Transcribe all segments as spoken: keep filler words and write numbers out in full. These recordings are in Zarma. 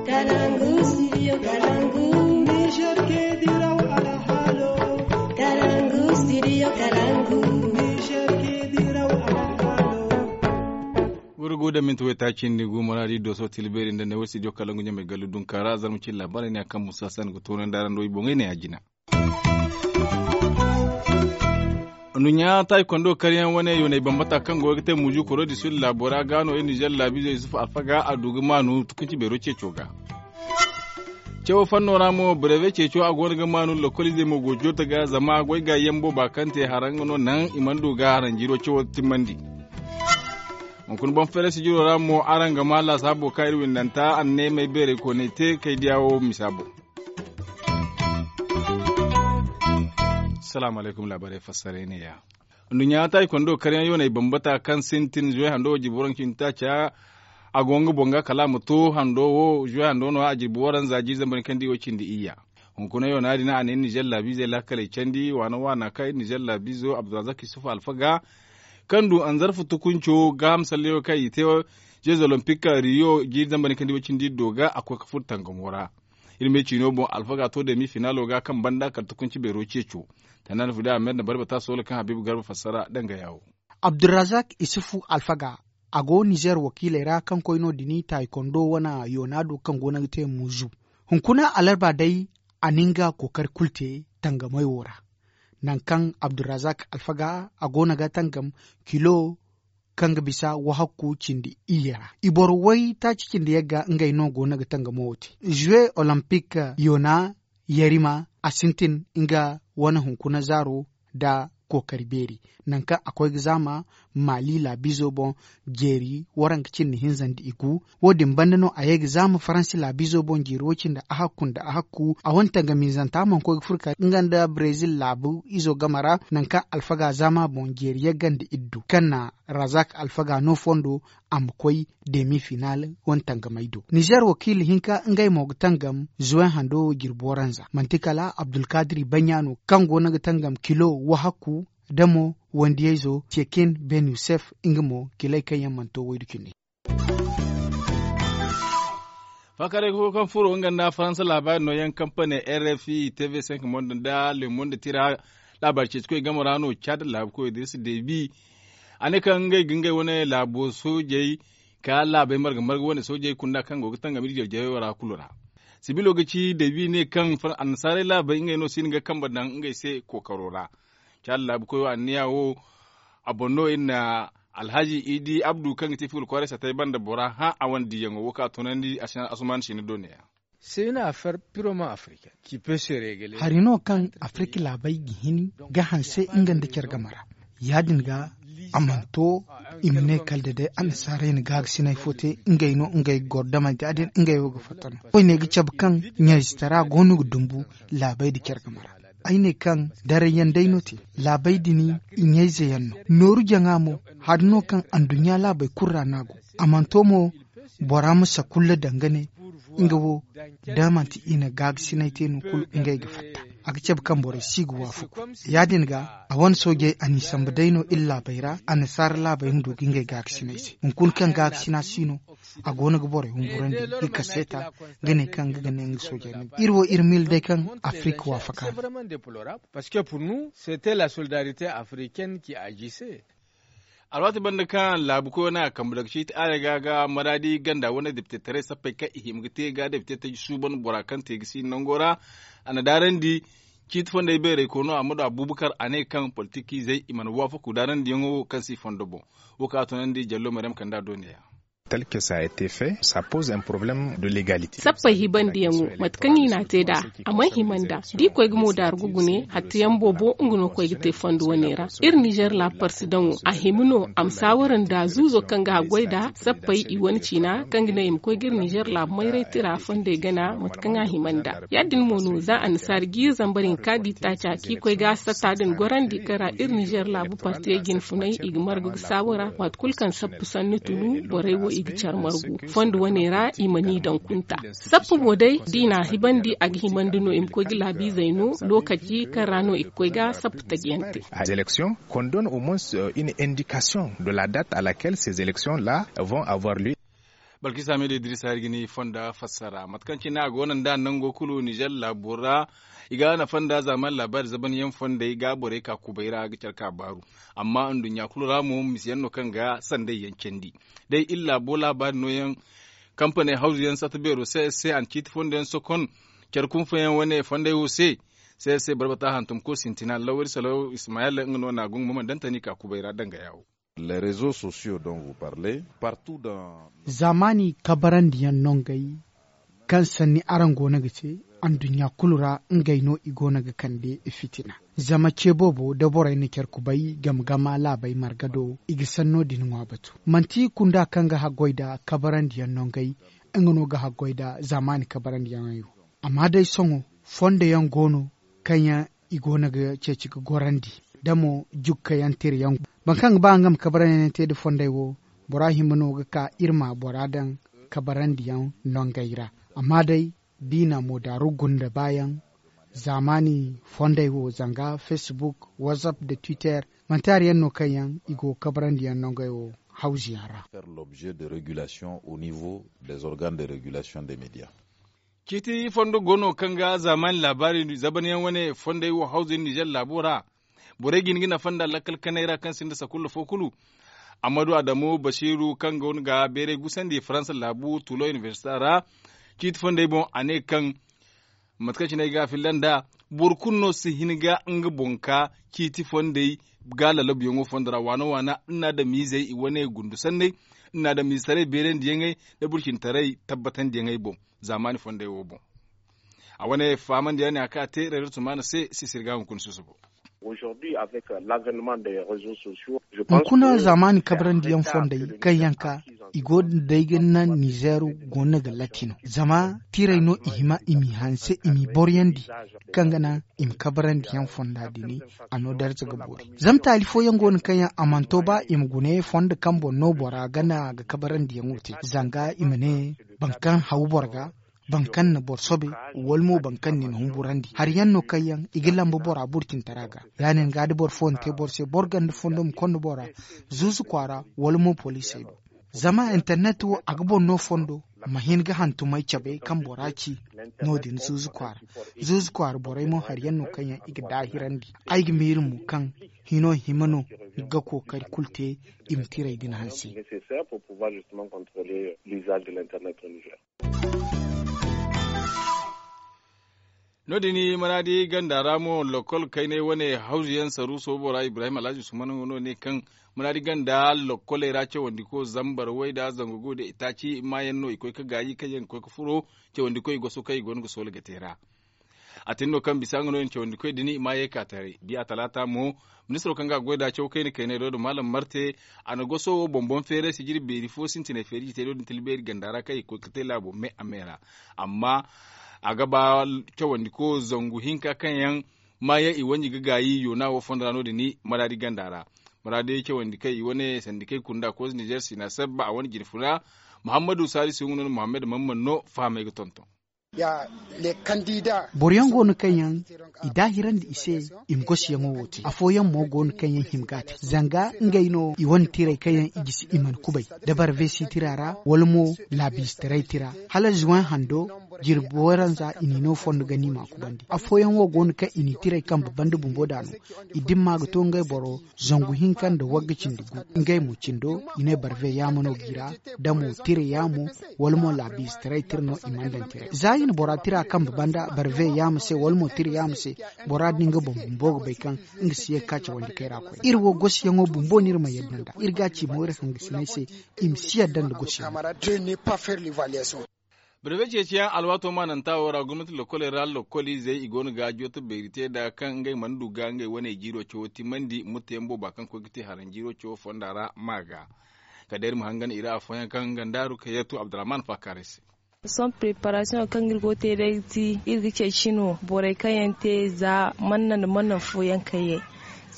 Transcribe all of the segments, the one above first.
Kalangu, studio Kalangu. Niger ke diraw alhalo. Kalangu, studio Kalangu. Niger ke diraw alhalo. Wurgu da minti wayta cindi gu maradi doso tilberi nda ne wasi diyo Kalangu ɲamay gallu dunka ra zarma cin labarai ne a kaŋ musa san ga tono nda aran do i boŋay ne a jina. Nduɲɲa taaykondo karyaŋ wane yoonay bambata kaŋ go ga te muju koro di sul laabo ra ga no iri nizer laabiizo yusuf alfaga a du ga maanu tukunci beero ceeco ga. Cawo fanno ra mo breve ceeco a go no ga maanu lokoliizey mo go joota ga zama goy ga yambo ba kaŋ te haraŋ no naŋ i mana du ga haraŋ jiiro cawo timmandi. Hunkuna boŋ feere sijiro ra mo araŋ ga ma laasaabo kaŋ iri windanta a ne may beerey koonay te kay diya wo misa boŋ. Salaamu alaykum laabaarey fassaray ne ya. Nduɲɲa taaykondo karyaŋ yoonay bambata kaŋ sintin zuwe hando wo jirbi waranka cindi taaca. A go nga boŋ ga kala a ma to hando wo zuwe hando no a jirbi waranza jiiri zambar kaŋ di wo cindi iyya. Hunkuna yoona din a ne nizer laabiizey laakaley candi waana waana kaŋ iri nizer laabiizo abdulrazak yusuf alfaga kaŋ du anzarfu tukunco gaaham salleyo kaŋ i te jeux olympique riyo jiiri zambar kaŋ di wo cindi do ga a koy ga furo tangamo ra. Iri me ciino boŋ alfaga to demi finaalo ga kaŋ banda kala tukunci beero ceeco. Tana na fida a mer na barbata soola kaŋ habiibu garba fassara danga yaawo. Abdulrazak isufu alfaga a go nizer wakiiley ra kaŋ koy no dini taaykondo wane yoona do kaŋ go no ga te muzu. Hunkuna alarba day a na nga kookari kulu te tangamey wo ra. Nangu kaŋ abdulrazak alfaga a go no ga tangam kilo kaŋ ga bisa wahakku cindi iyye ra i boro way taaci cindi yagga ngey no go no ga tangamo wo te. Zuwe olympique yoona yarima a sintin nga wane hunkuna zaaro nda kookari beeri. Nangu kaŋ a koy ga zaama maali laabiizo boŋ jeeri waranka cindi hinza nda i gu. Wo- din banda no a ye ga zaama faransi laabiizo boŋ jeeri wo- cindi ahakku nda ahakku a wane tangamiizanta mana koy ga furo ka nga nda brezil laabu izo game ra. Nangu kaŋ alfaga zaama boŋ jeeri yagga nda iddu kaŋ na razak alfaga no fondo a ma koy demi final wane tangamey do nizer wakiila hinka ngey mo ga tangam zuwen hando jirbi waranza manti kala abdulkadiri baɲa no kaŋ go no ga tangam kilo wahakku da mo wandiyayzo cekin ben yusef nga mo kilay kaŋ yaŋ mana to waydu cindi. Faakaray ga fo kaŋ furo nga nda faransa laabaari nooyaŋ kampane rfi tv cinq monde nda le monde tira laabaari ceeci koy game ra no caada laabu koy idris debi a ne kaŋ ngey ga ngey wane laabo soojey ka laabey marga marga wane soojey kunda kaŋ go ga tangam iri jarjarey ra kulu ra. Sibilo ga ci debi ne kaŋ annasaarey laabey ngey no si hin ga kambe daŋ ngey se kookaro ra. Caada laabu koyo anniya wo a boŋ no iri na alhaji idi abdu kaŋ ga ti figul kwaaray satay banda bora hã a wane diyaŋo wo kaŋ a tunandi asuman sina do ne ya. Hari no kaŋ afirka laabey ga hin ga hanse nga nda care game ra. Ya- din ga a mana to i ma ne kala da day annasaarey na gaagasinay fo te ngey no ngey ga goro damante ya- din ngey wo ga fatta no koyne ga cabe kaŋ ɲayzitara go no ga dumbu laabey nda care game ra. Ay ne kaŋ darayyaŋ day no te laabey din i ɲayze yaŋ no nooru jaŋa mo. Hari no kaŋ anduɲɲa laabey kulu ra no a go a mana to mo bora ma sakulla danga ne nga wo da manti i na gaagasinay te no kulu ngey ga fatta. A ga cabe kaŋ borey si ga waafaku ya- din ga a wane soojey a n'i sambu day no iri laabey ra annasaara laabey ma du ga ngey gaagasinay se hunkuna kaŋ gaagasina si no. A go no ga borey humburandi ga kaseeta ga ne kaŋ nga ga ne nga soojey no iri wo iri miila day kaŋ afirka waafaka no. Parce que pour nous c'était la solidarité africaine qui agissait. Alwaati banda kaŋ laabu koyo no a kambe daga ciiti aare ga ga maraadi ganda wane depitetaray sappey kaŋ i hima ga te ga depitetaray suuban bora kaŋ te ga si nango ra. A na daarandi ciiti fondey beerey koy no a ma du abubakar a ne kaŋ politikiizey i mana waafaku daarandiyaŋo wo kaŋ si fondo boŋ. Wo kaŋ a tunandi jallo maryam kanda do ne ya. Tel que ça a été fait ça pose un problème de légalité. Sappey hibandiyaŋo mate kaŋ i n'a te nd'a a mana hima nd'a da i koy ga mo daaru ga gune hatteyaŋ boobo nga no koy ga te fondo wane ra. Iri nizer laabu parsi daŋo a hima no a ma saawara nda zuuzo kaŋ ga haggoy nd'a sappey i wane ciina kaŋ ga ne i ma koy ga iri nizer laabu mayray tira fondey gana mate kaŋ a hima nd'a. Ya- din mo no za annasaara jiiri zambar hinka da i taaca kaŋ i koy ga satta din gorandi kaŋ ra iri nizer laabu partiyey jinfunay i ga margu ga saawara waati kulu kaŋ sappu sanni tunu borey wo i ga care margu fondo wane ra i mana i daŋ kunta. Sappu mo day da i n'a hibandi a ga himandi no i ma koy ga laabiizey no lookaci kaŋ ra no i ga koy ga sappu tajiyaŋ te. Qu'on donne au moins une indication de la date à laquelle ces élections là vont avoir lieu. Balkisa me da idris hari ga ni fonda fassara mate kaŋ cine a go no nda nango kulu nizer laabo ra. I ga nafa nda zaamaani laabaari zabanyaŋ fondey ga borey ka kubay ra ga care ka baaru. Amma nduɲɲa kulu ra mo misiyaŋ no kaŋ ga sanday yaŋ candi. Day iri laabo laabaari nooyaŋ kampaney hawzu yaŋ satta beero se se a na ciiti fondo yaŋ sokon care kunfayaŋ wane fondey wo se. Se se barbata hantum ko sintina lawari salaw ismayel nga no na gungu ma mana dantani ka kubay ra danga yawo. Zaamaani kabarandiyaŋ nongey kaŋ sanni araŋ go no ga te anduɲɲa kulu ra. Ngey no i go no ga kande fitina zama ce boobo da borey na care kubay game ga ma laabey marga do i ga sanno din ŋwa batu. Manti kunda kaŋ ga haggoy nda kabarandiyaŋ nongey nga no ga haggoy nda zaamaani kabarandiyaŋey wo. Amma day sohõ fondo yaŋ go no kaŋ yaŋ i go no ga ceeci ga gorandi da mo jukka yaŋ tira yaŋ. Boro kaŋ ga ba nga ma kabarandiyaŋ te nda fondey wo bora hima no ga ka iri ma bora daŋ kabarandiyaŋ nongey ra. Amma day biina mo daaru gunda baayaŋ zaamaani fondey wo zanga facebook whatsapp nda twitter manti hari yaŋ no kaŋ yaŋ i go kabarandiyaŋ nongey wo hawzu yaŋ ra. Ciiti fondo go no kaŋ ga zaamaani laabaari zabanyaŋ wane fondey wo hawzu yaŋ nizer laabo ra. Borey ga hin ga nafa nda lakkal kanay ra kaŋ sinda sakulla fo kulu. Ammadu adamu basiiru kaŋ go no ga bayray gusandi faransa laabu tulo inibersita ra. Ciiti fondey boŋ a ne kaŋ mate kaŋ cine ay ga a filla nd'a boro kulu no si hin ga nga boŋ ka ciiti fondey ga lalabuyaŋo fondo ra waana waana nda adamiizey i wane gundu sanney nda adamiizetaray beerandiyaŋey nda burcintaray tabbatandiyaŋey boŋ. Zaamaani fondey wo boŋ a wane faamandiyaŋ ne a kaŋ a te reezo tumaana se sisiri ga hunkuna susubo. Hunkuna zaamaani kabrandi yaŋ fondey kaŋ yaŋ ka i go ga day ga naŋ nizeeru go no ga latti no zama tiray no i hima i m'i hanse i m'i boryandi kaŋ ga naŋ i ma kabrandi yaŋ fonda din a no darza ga boori. Zama taali fooyaŋ go no kaŋ yaŋ a mana to ba i ma guna ye fondo kaŋ boro no bora gana ga kabrandi yaŋo te zanga i ma ne boro kaŋ haw boro ga boro kaŋ na boro sobe wala mo boro kaŋ na ni humburandi hari yaŋ no kaŋ yaŋ i ga lamba bora burcintara ga. Ya- din ga da boro fo na te boro se boro ganda fondo ma konda bora zuuzu kwaara wala mo poliisey do. Zama internet wo a ga boro no fondo ma hin ga hantumay cabe kaŋ bora ci. No- din zuuzu kwaara zuuzu kwaara borey mo hari yaŋ no kaŋ yaŋ i ga daahirandi. Ay ga miila mo kaŋ hino hima no ga kookari kulu te i ma tiray din hanse. No- din manaadi ganda ra mo lokol kaynay wane hawzu yaŋ saru soobo ra ibrahim alhazi usman no ne kaŋ manaadi ganda lokoley ra cawandiko zambar way nda zangu gu nda itaaci maayaŋ no i koy ga gaayi kaŋ yaŋ ga koy ga furo cawandiko i goso kaŋ i go no ga soola ga te ra. A tin no kaŋ bisa nga no i na cawandikoy din i ma ye ka taray biya talaata mo. Ministiro kaŋ ga a goy nda caw kayna kaynay do da maalam marte a na goso wo boŋ-boŋ feeray sijiri beeri fo sintinay feeri jitay do din tila beeri ganda ra kaŋ i ga koy ga te laabo me a me ra. Amma a ga ba cawandiko zangu hinka kaŋ yaŋ maayaŋ i wanji ga gaayi yoona wo fondo ra no- din maraadi ganda ra. Maraadi cawandi kaŋ i wane sandikey kunda koz nizer sina sabba a wane jine funa. Muhammadu salisu nga no muhammad mamman no fahamay ga tonton. Boro yaŋ go no kaŋ yaŋ i daahirandi i se i ma gosiyaŋo wo te afooyaŋ mo go no kaŋ yaŋ hima ga a te zanga ngey no i wane tiray kaŋ yaŋ i gisi i mana kubay da barve si tira ra wala mo laabiistaray tira hala zuwaŋ hando jirbi waranza i n'i no fondo ga ni m'a kubandi afooyaŋ wo go no kaŋ i n'i tiray kambe banda bumbo da no i dimma ga to ngey boro zangu hinka nda wagga cindi gu. Ngey mo cindo i ne barve yaama no g'i ra da mo tira yaamo wala mo laabiistaray tira no i mana daŋ tiray za i na bora tira kambe banda barve yaama se wala mo tira yaama se. Bora din ga boŋ bumbo ga bay kaŋ nga si ye ga ka cawandi kay ra koy iri wo gosiyaŋo bumbo no iri ma yadda nd'a iri ga a ci mo iri hangasinay se i ma si yadda nda gosiyaŋo. Birbe ceeciyaŋ alwaato maananta wo ra gomnati lokkoley ra lokkoliizey i go no ga jooto beeri te nd'a kaŋ ngey mana du ga ngey wane jiiro cawo timandi mutteyaŋ booba kaŋ koy ga te haranjiiro cawo fonda ra ma ga. Kala day iri ma hangan i ra afooyaŋ kaŋ nga nda rukayatu abdurrahman faakaaray se. Sohõ preparasiyoŋ kaŋ iri go ga te day ga ti iri ga ceeci no borey kaŋ yaŋ te za manna nda manna fooyaŋ kaŋ yaŋ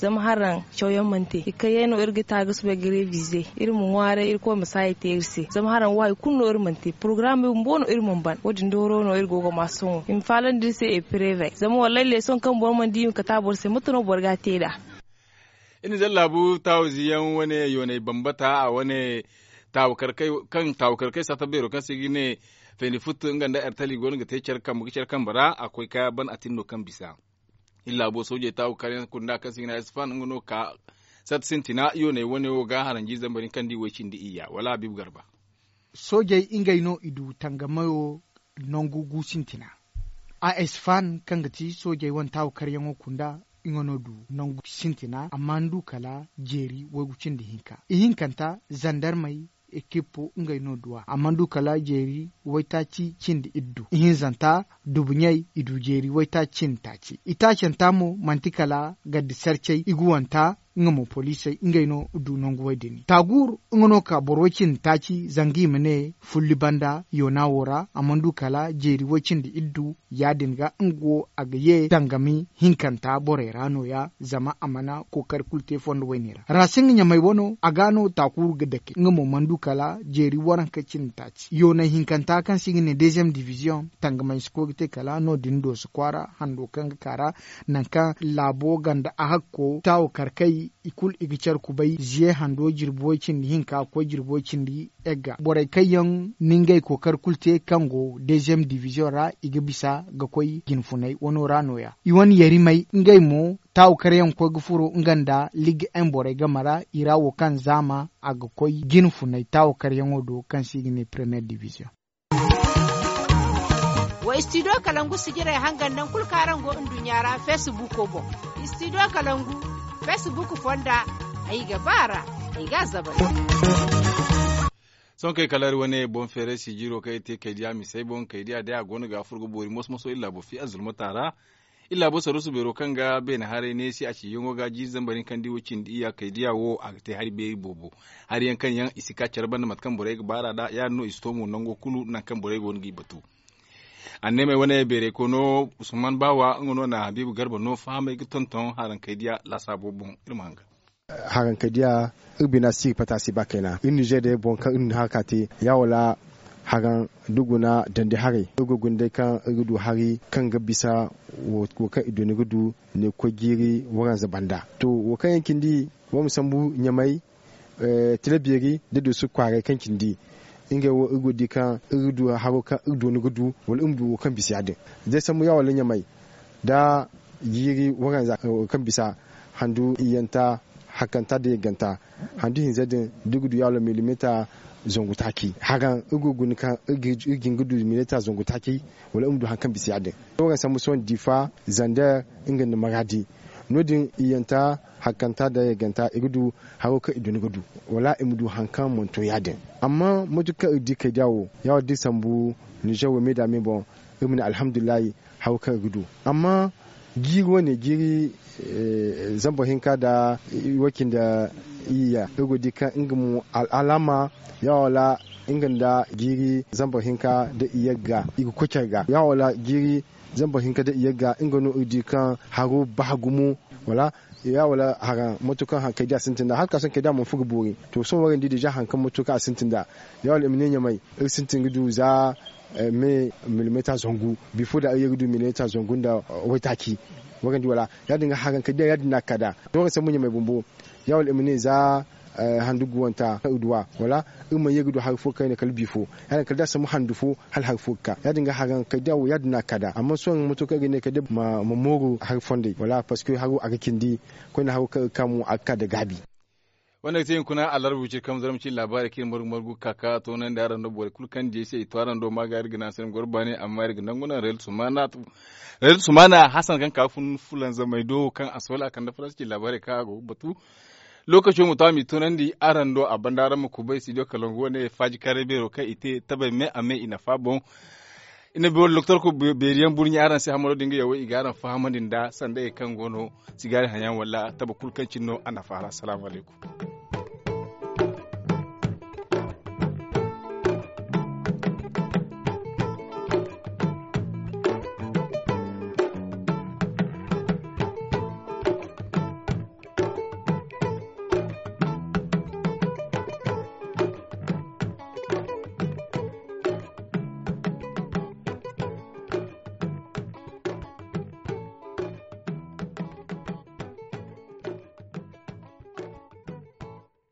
zama haraŋ cawyaŋ mana te i kayey no iri ga ta ga soobay ga revize iri ma ŋwaaray irkoy ma saayi te iri se zama haraŋ wo hari kulu no iri mana te porogaram bumbo no iri mana ban wo- din dooro no iri go ga ma sohõ i ma faalandi iri se eprevey zama wallay leesoŋ kaŋ boro mana di i ma kate a boro se mate no boro ga a te nd'a. Iri na zallaabu taawizi yaŋ wane yoonay bambata a wane Kaŋ taawa karkey satta beero kaŋ se i ga ne fayndi futtu nga nda ertali go no ga te care kambe ra a koy ka ban a tin no kaŋ bisa. Iri laabo soojey taawa karyaŋ kunda kaŋ se i ga ne a isfan nga no ga ka satta sintina yooney wane wo ga haranji zambar hinka nda i way cindi iyya wala habiibu garba. Soojey ngey no i du tangamayo nangu gu sintina. A esfan kaŋ ga ti soojey wane taawa karyaŋo kunda nga no du nangu sintina amma ni du kala jeeri waygu cindi hinka ihinkanta zandarmey ekippo ngey no duw'a amma ni du kala jeeri waytaaci cindi iddu ihinzanta dubuɲey i du jeeri waytaaci cindi taaci itaacanta mo manti kala gaddi sarcey iguwanta nga mo poliisey ngey no du nangu way din taaguur nga no ka boro way cindi taaci zanga i ma ne fulli banda yoona wo ra a mana du kala jeeri way cindi iddu ya- din ga nga wo a ga ye dangami hinkanta borey ra no- ya zama a mana kookari kulu te fondo wayne ra raasinga ɲamey wano a ga no taakuuru ga dake nga mo mana du kala jeeri waranka cindi taaci yoonay hinkanta kaŋ se i ga ne deeziyem diviziyoŋ tangamay si koy ga te kala no- din dooso kwaara hando kaŋ ga ka ra nangu kaŋ laabo ganda a hakko taawo karkay i kulu i ga care kubay ziye hando jirbi way cindi hinka ga koy jirbi way cindi egga borey kaŋ yaŋ na ngey kookari kulu te kaŋ go deeziyem diviziyoŋ ra i ga bisa ga koy jinfunay wano ra no- ya i wane yarimey ngey mo taawo karyaŋ ga koy ga furo nga nda liga en borey game ra i ra wo kaŋ zaama a ga koy jinfunay taawo karyaŋo do kaŋ se i ga ne premiyer diviziyoŋ. Wa istidiyo kalangu sijirey hangan nangu kulu kaŋ araŋ go nduɲɲa ra feesibuuko boŋ. Istidiyo kalangu feesibuuko fonda ay ga ba a ra ay ga a zabari. Sohõ kay kala iri wane boŋ feeray sijiro kaŋ iri te kaydiya misey boŋ kaydiya day a go no ga furo ga boori moso moso iri laabo fiya zulmata ra. Iri laabo saruusu beero kaŋ ga beene haray neesi a ciyaŋo ga jiiri zambar hinka nda i wo cindi iyya kaydiya wo a ga te hari beeri boobo. Hari yaŋ kaŋ yaŋ i si ka care banda mate kaŋ borey ga baar'a nd'a ya- din no i si to mo nango kulu nangu kaŋ borey go no g'i batu. Anneemey wane beerey koyno usman baawa nga no na habiibu garba no fahamey ga tonton harankey diya laasaabo boŋ iri ma hangan. Harankey diya iri bina si ga pata si ba kayna iri nizer day boŋ kaŋ iri na haraka te ya wala haran da guna dandi haray iri ga guna day kaŋ iri ga du hari kaŋ ga bisa wo kaŋ i du ni ga du ne ga koy jiiri waranza banda. To wo kaŋ yaŋ cindi boro ma sambu ɲamay tila beeri da duusu kwaaray kaŋ cindi ngey wo iri go ga di kaŋ iri ga du haro kaŋ iri dooni ga du wala iri ma du wo kaŋ bisa ya- din. Day sambu ya wala ɲamay da jiiri waranza kaŋ bisa handu iyyanta hakkanta da yagganta handu hinza din da iri ga du ya wala milimita zangu taaci haran iri go ga guna kaŋ iri ga hin ga du milimita zangu taaci wala iri ma du hari kaŋ bisa ya- din. Waranza sambu sohõ diifa zander nga nda maraadi no- din iyyanta hakkanta da yagganta i ga du haro kaŋ i duna ga du wala i ma du hari kaŋ mana to ya- din. Amma mate kaŋ iri di kaydiya wo ya wo da iri sambu nizer wo me da me boŋ iri ma ne alhamdulillahi haro kaŋ iri ga du. Amma jiiri wane jiiri zambar hinka nda iway cindi iyya iri go ga di kaŋ nga mo al'alaama ya wala nga nda jiiri zambar hinka nda iyagga i ga koy care ga ya wala jiiri zambar hinka nda iyagga nga no iri di kaŋ haro ba gumo wala ya wala haran mate kaŋ hankey da a sintin nd'a hala ka sohõ kay da a mana furo ga boori. To sohõ wo- din di deeza haŋ kaŋ mate kaŋ a sintin nd'a ya wala i ma ne ɲamay iri sintin ga du za me milimeta zangu bifo da iri ye ga du milimeta zangu nda waytaaci. Wo- din di wala ya- din ga haran kay da ya- din no a ga ka nd'a. To wo- din sambu ɲamay bumbo ya wala i ma ne za handu guwanta kaŋ iri duw'a wala iri mana ye ga du hari fo kayna kala bifo ya- din kala da a sambu handu fo hala hari fo ga ka ya- din ga haran kay da wo ya- din no a ga ka nd'a amma sohõ mate kaŋ iri ga ne kay da ma mooru hari fondey wala parceque haro a ga cindi koyne haro kaŋ iri ga ka mo a ga ka nda gaabi. Wanda ga te hunkuna alarba wiciri kaŋ zarma cine laabaarey kaŋ iri margu margu ga ka ka toonandi araŋ do borey kulu kaŋ di ay se i to araŋ do ma ga iri ga ne a se ni goro baani amma iri ga nangu naŋ rayal sumaana hasan kaŋ ka ga fun fulanzamey do kaŋ a soola a kande faransa cine laabaarey kaŋ a go ga batu. Lookaco ma to a m'i toonandi araŋ do a banda araŋ ma kubay studio kalangu wane faaji kaaray beero kaŋ i te tabay me a me i nafa boŋ. I na loktor ko beeriyaŋ burɲa araŋ se hamaro din ga yawey i ga araŋ fahamandi nda sanda ye kaŋ go no sigaari haŋyaŋ wala taba kulu kaŋ cine no a nafa ra salaamu alaykum.